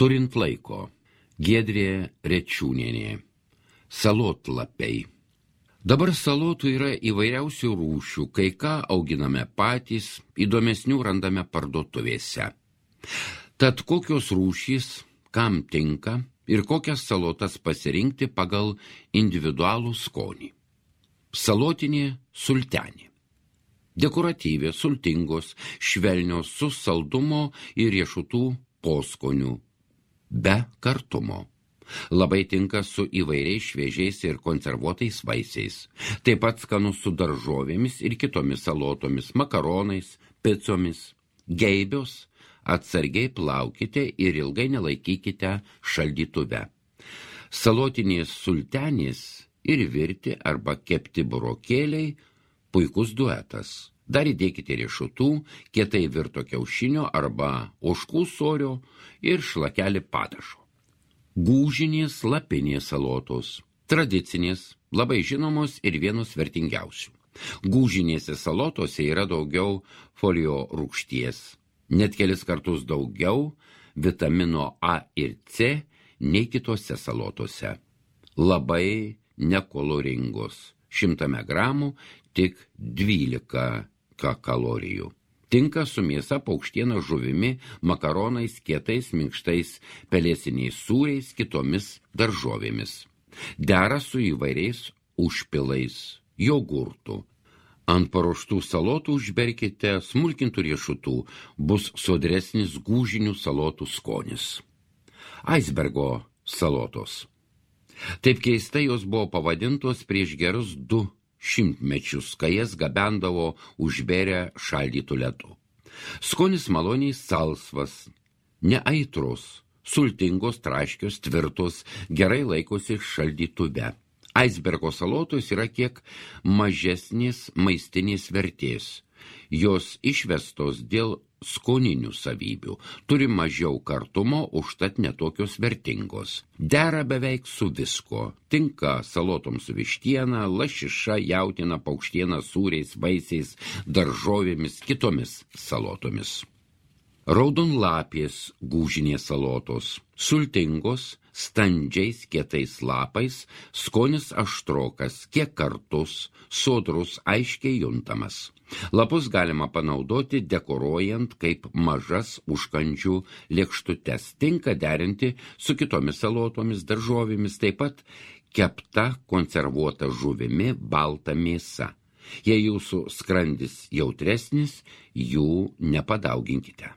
Turint laiko. Giedrė Rečiūnienė. Salotlapiai. Dabar salotų yra įvairiausių rūšių, kai ką auginame patys, įdomesnių randame parduotuvėse. Tad kokios rūšys, kam tinka ir kokias salotas pasirinkti pagal individualų skonį. Salotinė sultenė. Dekoratyvė, sultingos, švelnios su saldumo ir riešutų poskoniu, be kartumo. Labai tinka su įvairiais šviežiais ir konservuotais vaisiais. Taip pat skanus su daržovėmis ir kitomis salotomis, makaronais, picomis. Geibios atsargiai plaukite ir ilgai nelaikykite šaldytuve. Salotinės sultenės ir virti arba kepti burokėliai puikus duetas. Dar įdėkite riešutų, kietai virto kiaušinio arba ožkų sūrio ir šlakelį padažo. Gūžinės lapinės salotos. Tradicinės, labai žinomos ir vienos vertingiausių. Gūžinėse salotose yra daugiau folio rūgšties, net kelis kartus daugiau vitamino A ir C nei kitose salotose. Labai nekoloringos. 100 gramų tik 12 kalorijų. Tinka su mėsa, paukštiena, žuvimi, makaronais, kietais, minkštais, pelėsiniais sūriais, kitomis daržovėmis. Dera su įvairiais užpilais, jogurtų. Ant paruoštų salotų užberkite smulkintų riešutų, bus sodresnis gūžinių salotų skonis. Aisbergo salotos. Taip keistai jos buvo pavadintos prieš gerus 2 šimtmečius, kai jas gabendavo užbėrę šaldytų ledu. Skonis maloniai salsvas, neaitros, sultingos, traškios, tvirtos, gerai laikosi šaldytuve. Aisbergo salotos yra kiek mažesnės maistinės vertės. Jos išvestos dėl skoninių savybių, turi mažiau kartumo, užtat netokios vertingos. Dera beveik su visko. Tinka salotoms su vištiena, lašiša, jautiena, paukštiena, sūriais, vaisiais, daržovėmis, kitomis salotomis. Raudonlapės gūžinės salotos. Sultingos, standžiais kietais lapais, skonis aštrokas, kiek kartus, sodrus, aiškiai juntamas. Lapus galima panaudoti dekoruojant kaip mažas užkandžių lėkštutes. Tinka derinti su kitomis salotomis, daržovėmis, taip pat kepta konservuota žuvimi, balta mėsa. Jei jūsų skrandis jautresnis, jų nepadauginkite.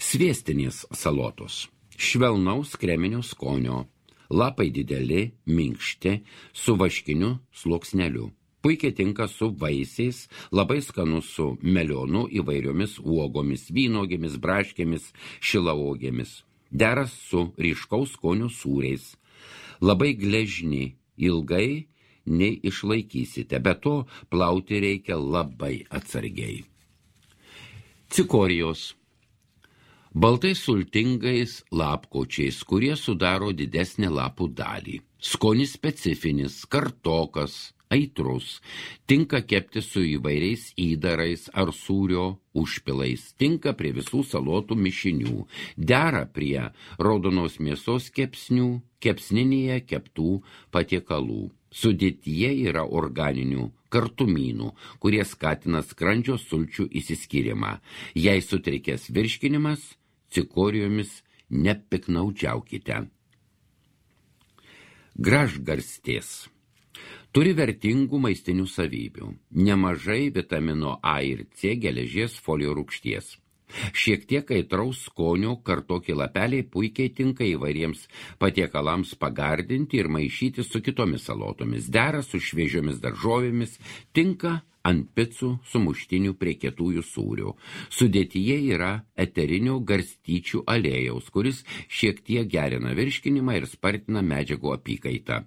Sviestinės salotos. Švelnaus kreminio skonio. Lapai dideli, minkšti, su vaškiniu sluoksneliu. Puikiai tinka su vaisiais, labai skanus su melionu, įvairiomis uogomis, vynogėmis, braškėmis, šilauogėmis. Deras su ryškaus skonio sūriais. Labai gležni, ilgai nei išlaikysite, be to plauti reikia labai atsargiai. Cikorijos. Baltai sultingais lapkočiais, kurie sudaro didesnę lapų dalį. Skonis specifinis, kartokas, aitrus. Tinka kepti su įvairiais įdarais ar sūrio užpilais. Tinka prie visų salotų mišinių. Dera prie raudonos mėsos kepsnių, kepsninėje keptų patiekalų. Sudėtyje yra organinių kartumynų, kurie skatina skrandžio sulčių išsiskyrimą. Jei sutrikęs virškinimas, cikorijomis nepiknaudžiaukite. Gražgarstės. Turi vertingų maistinių savybių. Nemažai vitamino A ir C, geležies, folio rūgšties. Šiek tiek aitraus skonio kartoki lapeliai puikiai tinka įvairiems patiekalams pagardinti ir maišyti su kitomis salotomis. Dera su šviežiomis daržovėmis, tinka ant picų sumuštinių prie kietųjų sūrių. Sudėtyje yra eterinio garstyčių aliejaus, kuris šiek tiek gerina virškinimą ir spartina medžiagų apykaitą.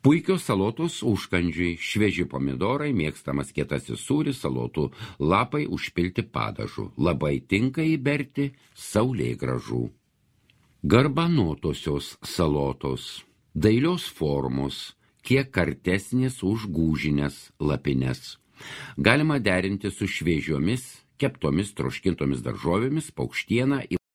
Puikios salotos užkandžiai, švieži pomidorai, mėgstamas kietasis sūris, salotų lapai užpilti padažu. Labai tinka įberti saulėgrąžų. Garbanotosios salotos. Dailios formos, kiek kartesnės už gūžinės lapines. Galima derinti su šviežiomis, keptomis troškintomis daržovėmis, paukštiena,